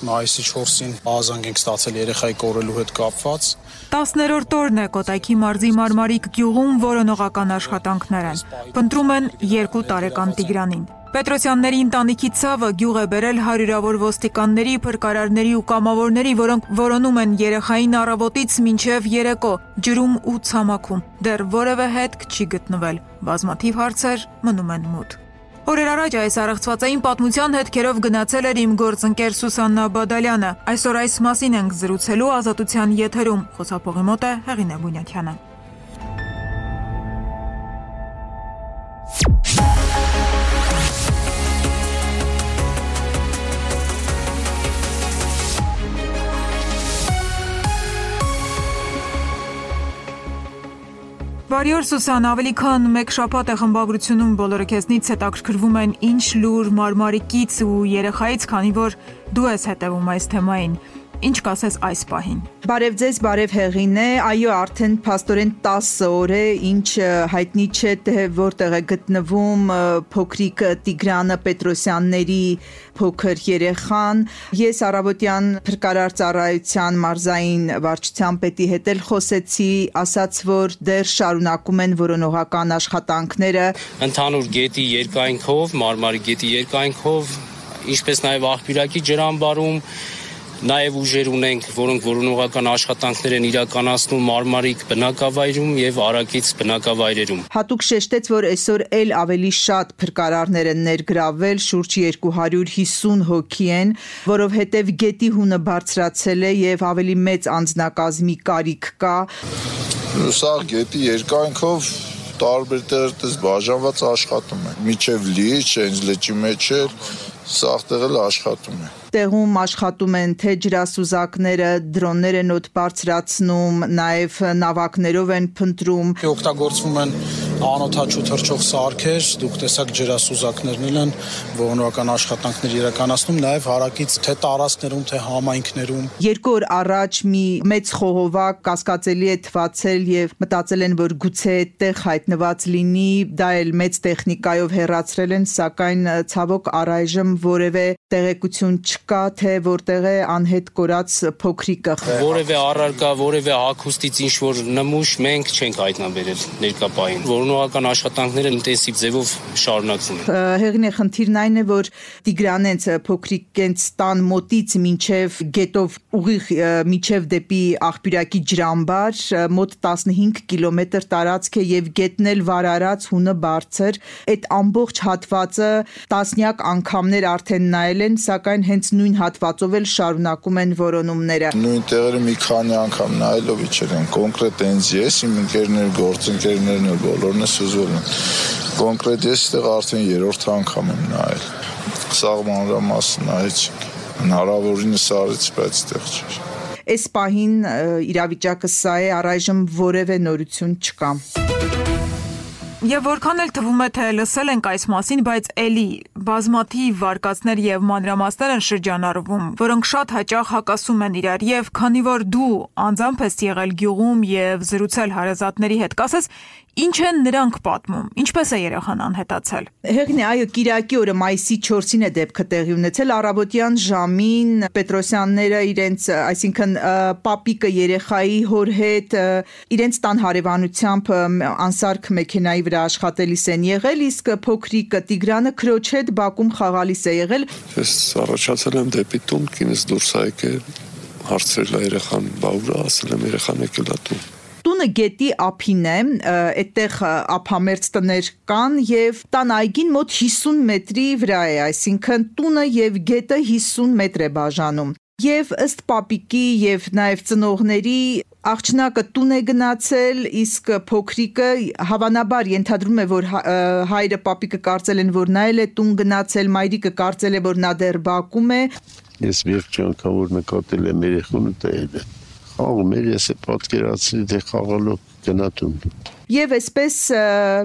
մայիսի 4-ին ահազանգ ենք ստացել երեխայի կորելու հետ կապված։ 10-րդ օրն է Կոտայքի մարզի Մարմարիկ գյուղում որոնողական աշխատանքներ են։ Փնտրում են 2 տարեկան Տիգրանին։ Պետրոսյանների ընտանիքի ցավը գյուղ է բերել հարյուրավոր ոստիկանների, փրկարարների ու կամավորների, որոնք որոնում են երեխային առավոտից մինչև երեկո, ջրում ու ցամաքում։ Դեռ որևէ հետք չի գտնվել։ Բազմաթիվ հարցեր մնում են մութ։ Օրեր առաջ այս առեղծվածային պատմության հետքերով գնացել էր իմ գործընկեր Սուսաննա Բադալյանը։ Այսօր այս մասին ենք զրուցելու Ազատության եթերում։ Խոսափողի մոտ է Հեղինե Բունյաթյանը։ Բարի օր Սուսան, ավելի քան 1 շաբաթ է խմբագրությունում բոլորը քեզնից հետաքրքրվում են ինչ լուր Մարմարիկից ու երեխայից, քանի որ դու ես հետևում այս թեմային։ Ինչ կասես այս պահին։ Բարև ձեզ, բարև Հեղինե, այո, արդեն փաստորեն 10 օր է, ինչ հայտնի չէ թե որտեղ է գտնվում փոքրիկ Տիգրանը Պետրոսյանների փոքր երեխան։ Ես առավոտյան փրկարար ծառայության մարզային վարչության պետի հետ էլ խոսեցի, ասաց, որ դեռ շարունակում են որոնողական աշխատանքները։ Ընդհանուր գետի երկայնքով, Մարմարի գետի երկայնքով, ինչպես նաև աղբյուրակի ջրամբարում Նաև ուժեր ունենք, որոնք որոնողական աշխատանքներ են իրականացնում Մարմարիկ բնակավայրում եւ Արաքից բնակավայրերում։ Հատուկ շեշտեց, որ այսօր էլ ավելի շատ փրկարարներ են ներգրավել, շուրջ 250 հոգի են, որովհետեւ գետի հունը բարձրացել է եւ ավելի մեծ անձնակազմի կարիք կա։ Սա գետի երկայնքով տարբեր տեղերից բաժանված աշխատում է։ Միջև լիճ, հենց լճի մեջ է, սաղ տեղել աշխատում է։ Տեղում աշխատում են թե ջրասուզակները, դրոններ են օդ բարձրացնում, նաև նավակներով են փնտրում։ Օգտագործվում են անօդաչու թռչող սարքեր, դուք տեսակ ջրասուզակներն են որոնողական աշխատանքներ իրականացնում, նաև հարակից թե տարածքներում, թե համայնքներում։ 2 օր առաջ մի մեծ խողովակ կասկածելի է թվացել եւ մտածել են, որ գուցե այդտեղ հայտնված լինի, դա էլ մեծ տեխնիկայով հեռացրել են, սակայն ցավոք առայժմ որևէ տեղեկություն չկա, թե որտեղ է անհետ կորած փոքրիկը։ Որևէ առարկա, որևէ հագուստից ինչ որ նմուշ մենք չենք հայտնաբերել ներկա պահին։ Որոնողական աշխատանքները ինտենսիվ ձևով շարունակվում են։ Հեղինե, խնդիրն այն է, որ Տիգրանենց փոքրիկենց տան մոտից մինչև գետով ուղիղ մինչև դեպի աղբյուրակի ջրամբար մոտ 15 կիլոմետր տարածք է եւ գետն էլ վարարած, հունը բարձր։ Այդ ամբողջ հատվածը տասնյակ անգամներ արդեն նայել են, սակայն հենց նույն հատվածով էլ շարունակում են որոնումները։ Նույն տեղերը մի քանի անգամ նայելով իջել են, կոնկրետ հենց ես, իմ ընկերներ, գործընկերներն էլ բոլորն է սուզվել են։ Կոնկրետ ես այդտեղ արդեն 3-րդ անգամ եմ նայել։ Սաղ մանրամասն նայեցինք, հնարավորինս արեց, բայց այդտեղ չէր։ Այս պահին իրավիճակը սա է, առայժմ որևէ նորություն չկա։ Եվ որքան էլ թվում է, թե լսել ենք այս մասին, բայց էլի բազմաթիվ վարկածներ եւ մանրամասներ են շրջանառվում, որոնք շատ հաճախ հակասում են իրար, եւ քանի որ դու անձամբ ես եղել գյուղում եւ զրուցել հարազատների հետ, կասես ինչ են նրանք պատմում, ինչպես է երեխան անհետացել։ Հեղինե, այո, Կիրակի օրը մայիսի 4-ին է դեպքը տեղի ունեցել, առավոտյան ժամին Պետրոսյանները իրենց, այսինքն պապիկը երեխայի հոր հետ իրենց տան հարևանությամբ անսարք մեքենայի վրա աշխատելիս են եղել, իսկ փոքրիկը Տիգրանը քրոջ հետ բակում խաղալիս է եղել։ Ես առաջացել եմ դեպի տուն, կինս դուրս է եկել, հարցրել է երեխան, բա ուր է, ասել եմ երեխան եկել է տուն։ Տունը գետի ափին է, այդտեղ ափամերձ տներ կան եւ տան այգին մոտ 50 մետրի վրա է, այսինքն տունը եւ գետը 50 մետր է բաժանում։ Եվ ըստ պապիկի եւ նաեւ ծնողների աղջնակը տուն է գնացել, իսկ փոքրիկը հավանաբար ենթադրում է, որ հայրը պապիկը կարծել են, որ նա էլ է տուն գնացել, մայրիկը կարծել է, որ նա դեռ բակում է։ Ես վերջի անգամ որ նկատել եմ երեխուն տել է։ Խաղում էր, ես է պատկերացրի, թե խաղալով գնատում։ Եվ այսպես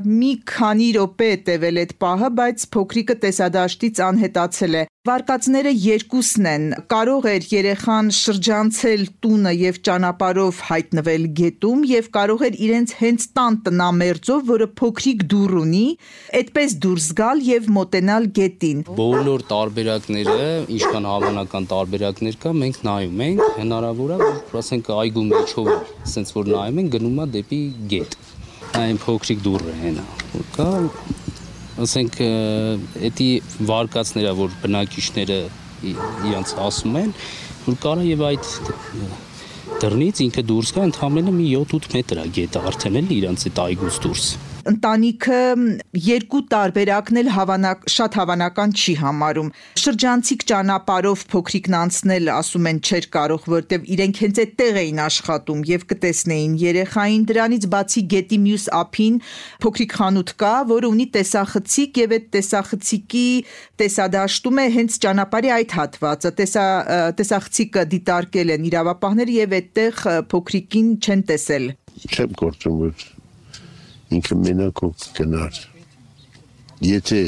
մի քանի րոպե է տևել այդ պահը, բայց փոքրիկը տեսադաշտից անհետացել է։ Վարկածները երկուսն են, կարող էր երեխան շրջանցել տունը եւ ճանապարհով հայտնվել գետում եւ կարող էր իրենց հենց տան տնամերձով, որը փոքրիկ դուռ ունի, այդպես դուրս գալ եւ մոտենալ գետին։ Բոլոր տարբերակները, ինչքան հավանական տարբերակներ կա, մենք նայում ենք, հնարավոր է, որ ասենք այգու մեջով, ասենց որ նայում ենք, գնում է դեպի գետ։ Այն փոքրիկ դուռը հենա, որ կա ասենք էդի վարկածները, որ բնակիչները իրանց ասում են, որ կարա եւ այդ դռնից ինքը դուրս գա, ընդհանրապես մի 7-8 մետր է գետը արդեն էլ իրանց այդ այգուց դուրս։ Ընտանիքը երկու տարբերակն էլ շատ հավանական չի համարում։ Շրջանցիկ ճանապարհով փոքրիկն անցնել, ասում են, չէր կարող, որտեվ իրենք հենց այդտեղ էին աշխատում եւ կտեսնեին երեխային։ Դրանից բացի գետի մյուս ափին փոքրիկ խանութ կա, որը ունի տեսախցիկ եւ այդ տեսախցիկի տեսադաշտում է հենց ճանապարհի այդ հատվածը։ Տեսախցիկը դիտարկել են իրավապահները եւ այդտեղ փոքրիկին չեն տեսել։ Չեմ գործում, որ ինքը մենակով գնար, եթե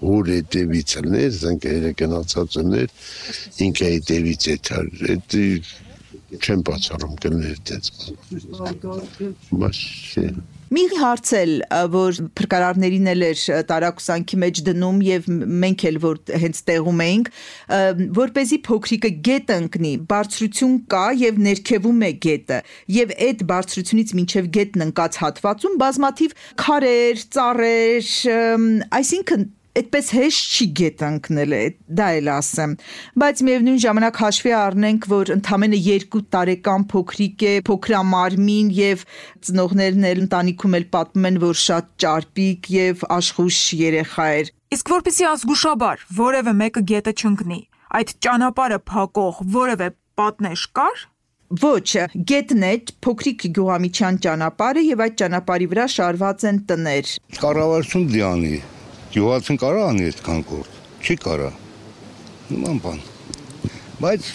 որ հետևից լներ, զանգերը գնացած ուներ, ինքը հետևից էթար, չեմ բացառում գներ դենց։ Մի հարց էլ, որ փրկարարներին էլ էր տարակուսանքի մեջ դնում եւ մենք էլ որ հենց տեղում էինք, որպեսզի փոքրիկը գետ ընկնի, բարձրություն կա եւ ներքևում է գետը եւ այդ բարձրությունից մինչեւ գետն ընկած հատվածում բազմաթիվ քարեր, ծառեր, այսինքն այդպես հեշտ չի գետ ընկնել, դա էլ ասեմ, բայց միևնույն ժամանակ հաշվի առնենք, որ ընդամենը 2 տարեկան փոքրիկ է, փոքրամարմին եւ ծնողներն էլ ընտանիքում էլ պատմում են, որ շատ ճարպիկ եւ աշխույժ երեխա էր։ Իսկ որպեսզի ազգուշաբար որևէ մեկը գետը չընկնի, այդ ճանապարհը փակող որևէ պատնեշ կար։ Ոչ, գետն է փոքրիկ գյուղամիջյան ճանապարհը եւ այդ ճանապարհի վրա շարված են տներ։ Կառավարություն դիանի Գյուղացին կարա անի այդքան գործ, չի կարա, նման բան, բայց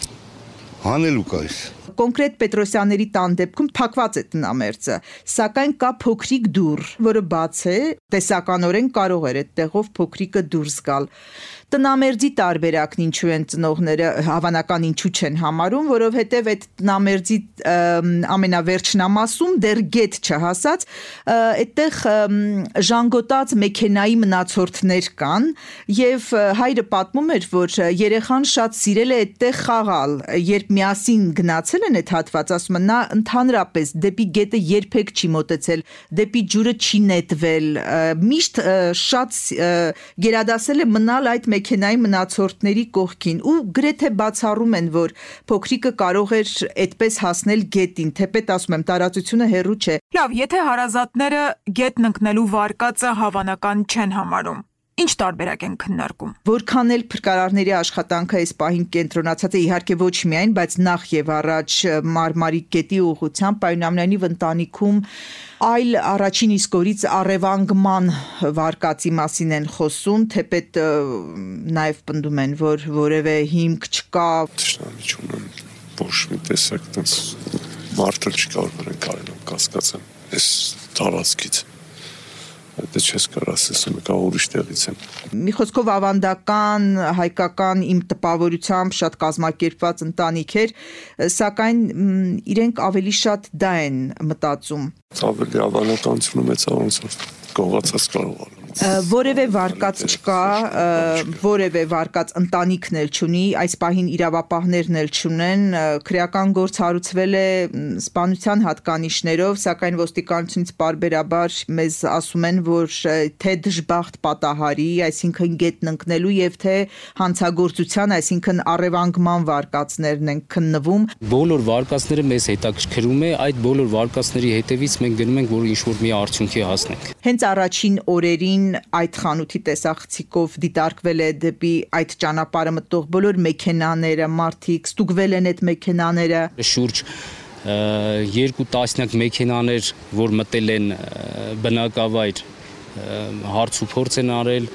հանելու կա այս։ Կոնկրետ Պետրոսյանների տան դեպքում փակված է տնամերձը, սակայն կա փոքրիկ դուռ, որը բաց է, տեսականորեն կարող էր այդտեղով փոքրիկը դուրս գալ։ Տնամերձի տարբերակն ինչու են ծնողները հավանական ինչու չեն համարում, որովհետև այդ տնամերձի ամենավերջնամասում դեռ գետ չհասած, այդտեղ ժանգոտած մեքենայի մնացորդներ կան եւ հայրը պատմում էր, որ երեխան շատ սիրել է այդտեղ խաղալ, երբ միասին գնացել են այդ հատված, ասում են, նա ընդհանրապես դեպի գետը երբեք չի մոտեցել, դեպի ջուրը չի նետվել, միշտ շատ գերադասել է մնալ այդ մեքենայի մնացորդների կողքին ու գրեթե բացառում են, որ փոքրիկը կարող էր այդպես հասնել գետին, թեպետ ասում եմ, տարածությունը հեռու չէ։ Լավ, եթե հարազատները գետն ընկնելու վարկածը հավանական չեն համարում, ինչ տարբերակ են քննարկում։ Որքան էլ փրկարարների աշխատանքը այս պահին կենտրոնացած է, իհարկե ոչ միայն, բայց նախ եւ առաջ Մարմարիկ գետի ուղղությամբ, այնուամենայնիվ ընտանիքում այլ առաջին իսկ օրից առևանգման վարկածի մասին են խոսում, թեպետ նաեւ պնդում են, որ որևէ հիմք չկա։ Ճշնամիություն ոչ մի տեսակ տես մարդը չկա, որ կարելի կասկածեն այս տարածքից։ Դա չես կարող ասեմ, կա ուրիշ տեղից եմ։ Մի խոսքով ավանդական, հայկական իմ տպավորությամբ շատ կազմակերպված ընտանիք էր, սակայն իրենք ավելի շատ դա են մտածում։ Ավելի ավանդականությունը մեծա ոնց որ կողացած կարող է։ Որևէ վարկած չկա, որևէ վարկած ընտանիքն էլ չունի, այս պահին իրավապահներն էլ չունեն, քրեական գործ հարուցվել է սպանության հատկանիշներով, սակայն ոստիկանությունից պարբերաբար մեզ ասում են, որ թե դժբախտ պատահարի, այսինքն գետն ընկնելու եւ թե հանցագործության, այսինքն առևանգման վարկածներն են քննվում։ Բոլոր վարկածները մեզ հետաքրքրում է, այդ բոլոր վարկածների հետևից մենք գնում ենք, որ ինչ-որ մի արդյունքի հասնենք։ Հենց առաջին օրերին այդ խանութի տեսախցիկով դիտարկվել է դեպի այդ ճանապարհը մտող բոլոր մեքենաները, մարդիկ ստուգվել են այդ մեքենաները։ Շուրջ 2 տասնյակ մեքենաներ, որ մտել են բնակավայր, հարց ու փորձ են արել,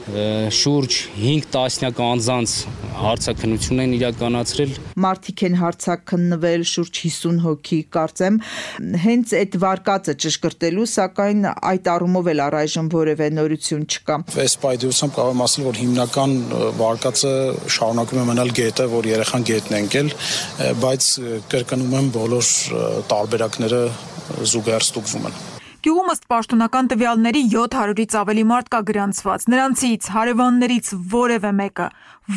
շուրջ 5 տասնյակ անձանց հարցաքննություն են իրականացրել։ Մարդիկ են հարցաքննվել շուրջ 50 հոգի, կարծեմ, հենց այդ վարկածը ճշգրտելու, սակայն այդ առումով էլ առայժմ որևէ նորություն չկա։ Այս պայդրությամբ կարող եմ ասել, որ հիմնական վարկածը շարունակում է մնալ գետը, որ երեխան գետն է ընկել, բայց կրկնում եմ, բոլոր տարբերակները զուգահեռ ստուգվում են։ Գյուղում ըստ պաշտոնական տվյալների 700-ից ավելի մարդ կա գրանցված։ Նրանցից հարևաններից որևէ մեկը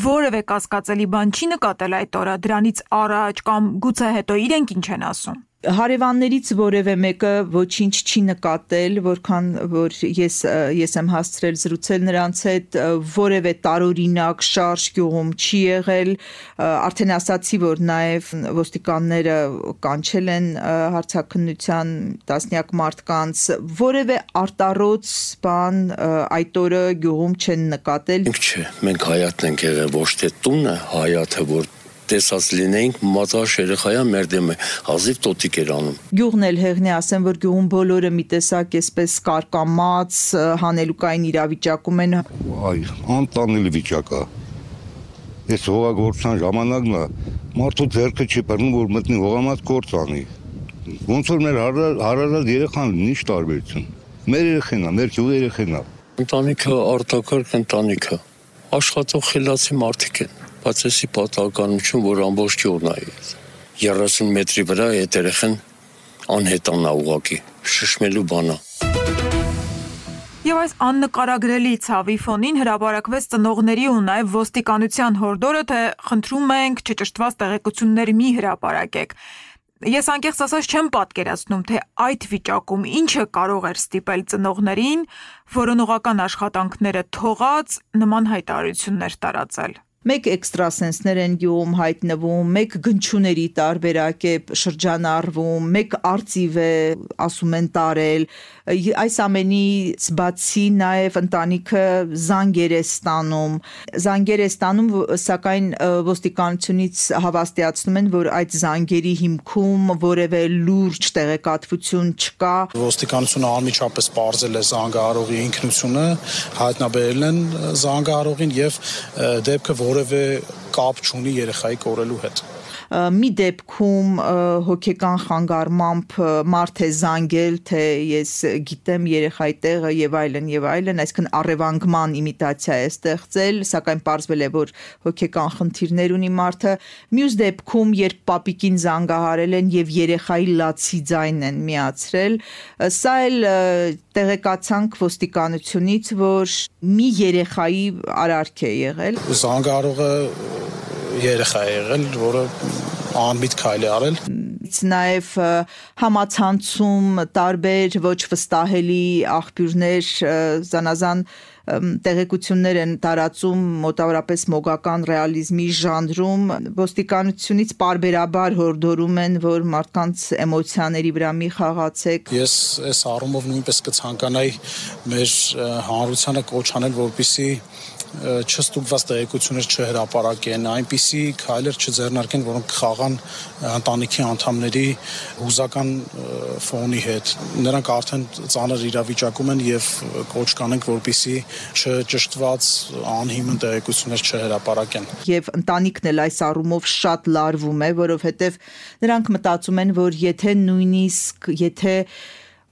որևէ կասկածելի բան չի նկատել այդ օրը, դրանից առաջ կամ գուցե հետո իրենք ինչ են ասում։ Հարևաններից որևէ մեկը ոչինչ չի նկատել, որքան որ ես եմ հասցրել զրուցել նրանց հետ, որևէ տարօրինակ շարժ գյուղում չի եղել, արդեն ասացի, որ նաև ոստիկանները կանչել են հարցաքննության տասնյակ մարդկանց, որևէ արտառոց բան այդ օրը գյուղում չեն նկատել։ Չէ, մենք հայատն ենք եղել, ոչ թե տունը, հայատը, որ տեսած լինեինք, մածաշ երեխայա մեր դեմը հազիվ տոտիկ էր անում։ Գյուղն էլ հեղն է, ասեմ, որ գյուղում բոլորը մի տեսակ այսպես կարկամած, հանելուկային իրավիճակում են։ Այ, անտանելի վիճակ է։ Այս հողագործության ժամանակն է, մարդու ձեռքը չի բռնում, որ մտնի հողամած գործ անի։ Ոնց որ մեր հարազատ երեխան լինի, ինչ տարբերություն։ Մեր երեխան է, մեր գյուղի երեխան է։ Ընտանիքը արտակարգ ընտանիք է։ Աշխատող խելացի մարդիկ են։ Բայց էսի պատահականություն, որ ամբողջ գյուղն է։ 30 մետրի վրա այդ երեխան անհետանա ուղղակի, շշմելու բան է։ Եվ այս աննկարագրելի ցավի ֆոնին հրապարակվեց ծնողների ու նաև ոստիկանության հորդորը, թե խնդրում ենք չճշտված տեղեկություններ մի հրապարակեք։ Ես անկեղծ ասած չեմ պատկերացնում, թե այդ վիճակում ինչը կարող էր ստիպել ծնողներին որոնողական աշխատանքները թողած նման հայտարարություններ տարածել։ Մեկ էքստրասենսներ են գյուղում հայտնվում, մեկ գնչուների տարբերակ է շրջանառվում, մեկ արծիվ է ասում են տարել, այս ամենից բացի նաև ընտանիքը զանգեր է ստանում, սակայն ոստիկանությունից հավաստիացնում են, որ այդ զանգերի հիմքում որևէ լուրջ տեղեկատվություն չկա։ Ոստիկանությունը անմիջապես պարզել է զանգահարողի ինքնությունը, հայտնաբերել են զանգահարողին եւ դեպքը որևէ կապ չունի երեխայի կորելու հետ։ Մի դեպքում հոգեկան խանգարմամբ մարդ է զանգել, թե ես գիտեմ երեխայի տեղը եւ այլն, այսինքն առևանգման իմիտացիա է ստեղծել, սակայն պարզվել է, որ հոգեկան խնդիրներ ունի մարդը։ Մյուս դեպքում, երբ պապիկին զանգահարել են եւ երեխայի լացի ձայն են միացրել, սա էլ տեղեկացանք ոստիկանությունից, որ մի երեխայի արարք է եղել։ Զանգահարողը երեխա է եղել, որը անմիտ քայլ է արել։ Նաև համացանցում տարբեր ոչ վստահելի աղբյուրներ զանազան տեղեկություններ են տարածում մոտավորապես մոգական ռեալիզմի ժանրում, ոստիկանությունից պարբերաբար հորդորում են, որ մարդկանց էմոցիաների վրա մի խաղացեք։ Ես այս առումով նույնպես կցանկանայի մեր հանրությանը կոչ անել, որպեսզի չստուգված տեղեկություններ չհրապարակեն, այնպիսի քայլեր չձեռնարկեն, որոնք կխաղան ընտանիքի անդամների հուզական ֆոնի հետ։ Նրանք արդեն ծանր իրավիճակում են եւ կոչ կանենք, որպեսզի չճշտված անհիմն տեղեկություններ չհրապարակեն։ Եվ ընտանիքն էլ այս առումով շատ լարվում է, որովհետեւ նրանք մտածում են, որ եթե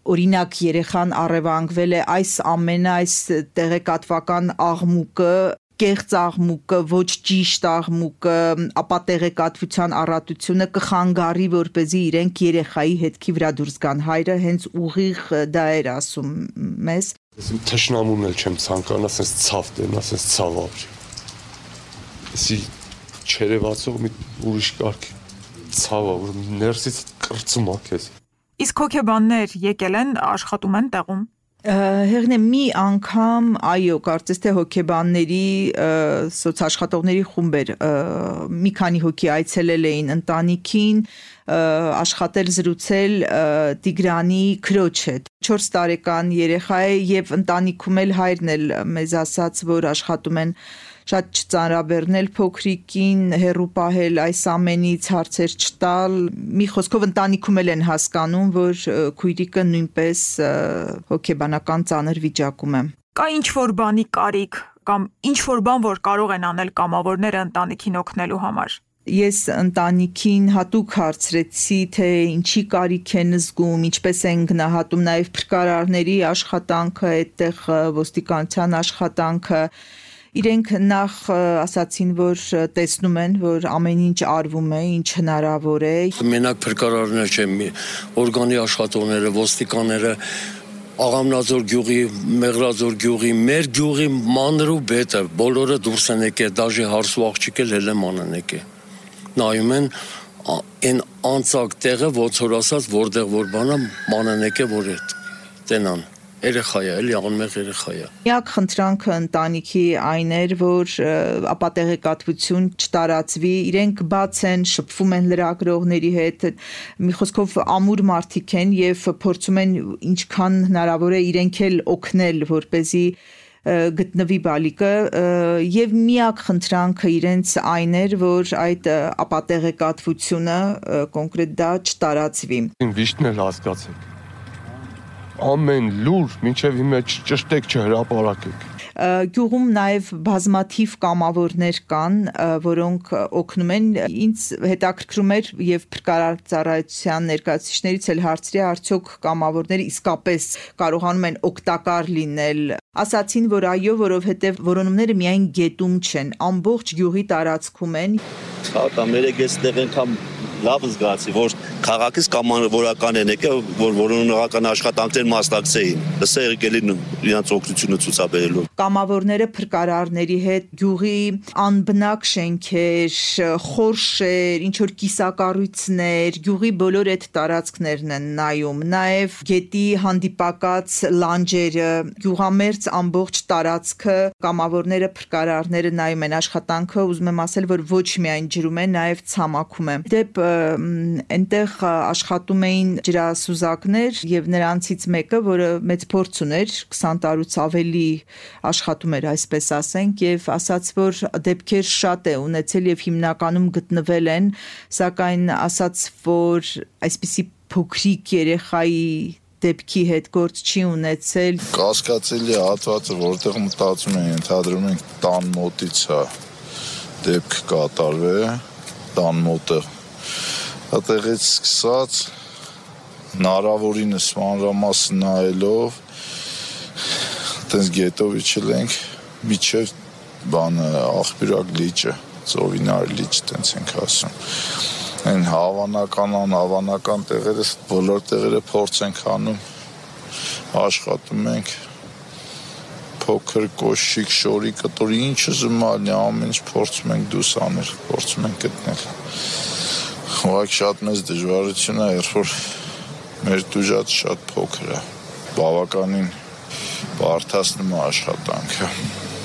օրինակ երեխան առևանգվել է, այս տեղեկատվական աղմուկը, կեղծ աղմուկը, ոչ ճիշտ աղմուկը, ապա տեղեկատվության առատությունը կխանգարի, որպեսզի իրենք երեխայի հետքի վրա դուրս գան։ Հայրը հենց ուղիղ դա էր ասում մեզ։ Իմ թշնամուն էլ չեմ ցանկանում, ասես ցավ դեն, ասես ցավ ապրի։ Էսի չերևացող մի ուրիշ կարգ ցավ է, որ ներսից կրծում է քեզ։ Իսկ հոգեբաններ եկել են, աշխատում են տեղում։ Հեղն է մի անգամ, այո, կարծես թե հոգեբանների սոցաշխատողների խումբեր մի քանի հոգի այցելել էին ընտանիքին, աշխատել զրուցել Տիգրանի քրոջ հետ։ 4 տարեկան երեխա է եւ ընտանիքում էլ հայրն էլ մեզ ասաց, որ աշխատում են շատ չծանրաբեռնել փոքրիկին, հեռու պահել այս ամենից, հարցեր չտալ։ Մի խոսքով ընտանիքում էլ են հասկանում, որ քույրիկը նույնպես հոգեբանական ծանր վիճակում է։ Կա ինչ-որ բանի կարիք, կամ ինչ-որ բան, որ կարող են անել կամավորները ընտանիքին օգնելու համար։ Ես ընտանիքին հատուկ հարցրեցի, թե ինչի կարիք են զգում, ինչպես են գնահատում նաև փրկարարների աշխատանքը, այդտեղ ոստիկանության աշխատանքը։ Իրենք նախ ասացին, որ տեսնում են, որ ամեն ինչ արվում է, ինչ հնարավոր է։ Մենակ փրկարարներ չեն, օրգանի աշխատողները, ոստիկանները, Աղամնաձոր գյուղի, Մեղրաձոր գյուղի, մեր գյուղի մանրու բետը, բոլորը դուրս են եկել, դաժե հարսու աղջիկը լել է մանան եկել։ Նայում են այն անցակ տեղը, ոնց որ ասած, որտեղ որ բանա մանան եկել, որ այդ տենան։ Երեխա է, էլի անմեղ երեխա է։ Միակ խնդրանքը ընտանիքի այն էր, որ ապատեղեկատվություն չտարածվի, իրենք բաց են, շփվում են լրագրողների հետ, մի խոսքով ամուր մարդիկ են եւ փորձում են ինչքան հնարավոր է իրենք էլ օգնել, որպեսզի գտնվի բալիկը եւ միակ խնդրանքը իրենց այն էր, որ այդ ապատեղեկատվությունը կոնկրետ դա չտարածվի։ Վիշտն էլ հասկացեք։ Ամեն լուր մինչև հիմա ճշտեք չհրապարակեք։ Գյուղում նաև բազմաթիվ կամավորներ կան, որոնք օգնում են։ Ինձ հետաքրքրում էր եւ փրկարարծառայության ներկայացուցիչներից էլ հարցրի, արդյոք կամավորները իսկապես կարողանում են օգտակար լինել։ Ասացին, որ այո, որովհետեւ որոնումները միայն գետում չեն, ամբողջ գյուղի տարածքում են։ Հա, մեր էստեղ անգամ լավ զգացի, որ քաղաքից կամավորական են եկել, որ որոնողական աշխատանքներ մասնակցեին։ Լսա եկել են իրենց օգնությունը ցուցաբերելու։ Կամավորները փրկարարների հետ գյուղի անբնակ շենքեր, խորշեր, ինչ որ կիսակառույցներ, գյուղի բոլոր այդ տարածքներն են նայում, նաև գետի հանդիպակաց լանջերը, գյուղամերձ ամբողջ տարածքը կամավորները փրկարարները նայում են աշխատանքը, ուզում եմ ասել, որ ոչ միայն ջրում է, նաև ցամաքում է։ Դեպ այնտեղ աշխատում էին ջրասուզակներ եւ նրանցից մեկը, որը մեծ փորձ ուներ, 20 տարուց ավելի աշխատում էր, այսպես ասենք, եւ ասաց, որ դեպքեր շատ է ունեցել եւ հիմնականում գտնվել են, սակայն ասաց, որ այսպիսի փոքրիկ երեխայի դեպքի հետ գործ չի ունեցել։ Կասկածելի հատվածը, որտեղ մտածում են, ենթադրում են տան մոտից է դեպք կատարվել, տան մոտը։ Այդտեղից սկսած հնարավորինս մանրամասն նայելով այդպես գետով իջել ենք միջև բանը աղբյուրակ լիճը, ծովինար լիճ տենց ենք ասում։ Այն հավանական տեղերը, բոլոր տեղերը փորձ ենք անում, աշխատում ենք, փոքր կոշիկ, շորի կտորի, ինչ ուզում ալնի, ամեն ինչ փորձում ենք դուրս անել, փորձում ենք գտնել։ Ուղղակի շատ մեծ դժվարություն է, երբ որ մեր դուժած շատ փոքր է, բավականին բարդացնում է աշխատանքը։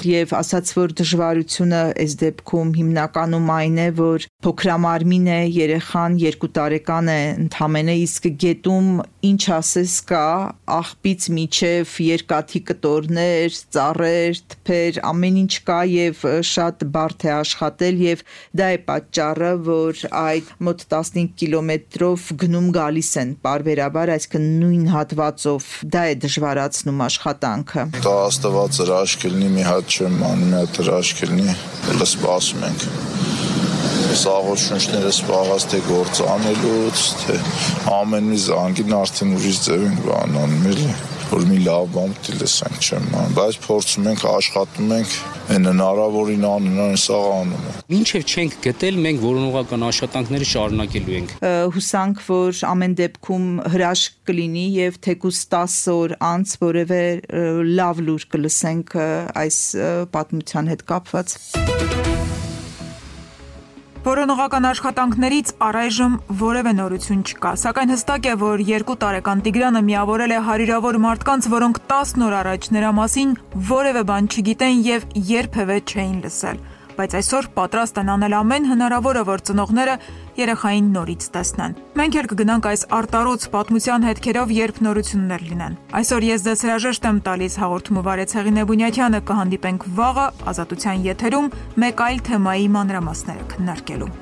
Եվ ասաց, որ դժվարությունը այս դեպքում հիմնականում այն է, որ փոքրամարմին է, երեխան 2 տարեկան է ընդամենը, իսկ գետում ինչ ասես կա, աղբից միջև երկաթի կտորներ, ծառեր, թփեր, ամեն ինչ կա եւ շատ բարդ է աշխատել եւ դա է պատճառը, որ այդ մոտ 15 կիլոմետրով գնում գալիս են բարբերաբար, այսինքն նույն հատվածով, դա է դժվարացնում աշխատանքը։ Դա աստված հրաշք լինի, մի հատ չեմ անում, մի հատ հրաշք լինի, հələ սպասում ենք։ Սաղոտ շունչները սպաղած թե գործ անելուց, թե ամեն մի զանգին արդեն ուրիշ ձև ենք բանանում, էլի, որ մի լավ բան պիտի լսենք, չեմ անում, բայց փորձում ենք, աշխատում ենք, այն հնարավորին անում, սաղ անում ենք։ Մինչև չենք գտել, մենք որոնողական աշխատանքները շարունակելու ենք։ Հուսանք, որ ամեն դեպքում հրաշք կլինի եւ թեկուզ 10 օր անց որևէ լավ լուր կլսենք այս պատմության հետ կապված։ Որոնողական աշխատանքներից առայժմ որևէ նորություն չկա, սակայն հստակ է, որ 2 տարեկան Տիգրանը միավորել է հարյուրավոր մարդկանց, որոնք 10 օր առաջ նրա մասին որևէ բան չգիտեն եւ երբևէ չէին լսել, բայց այսօր պատրաստ են անել ամեն հնարավորը, որ ծնողները երեխային նորից տեսնեն։ Մենք էլ կգնանք այս արտարոց պատմության հետքերով, երբ նորություններ լինեն։ Այսօր ես ձեզ հրաժեշտ եմ տալիս, հաղորդումը վարեց Հեղինե Բունյաթյանը, կհանդիպենք վաղը Ազատության եթերում մեկ այլ թեմայի մանրամասները քննարկելու։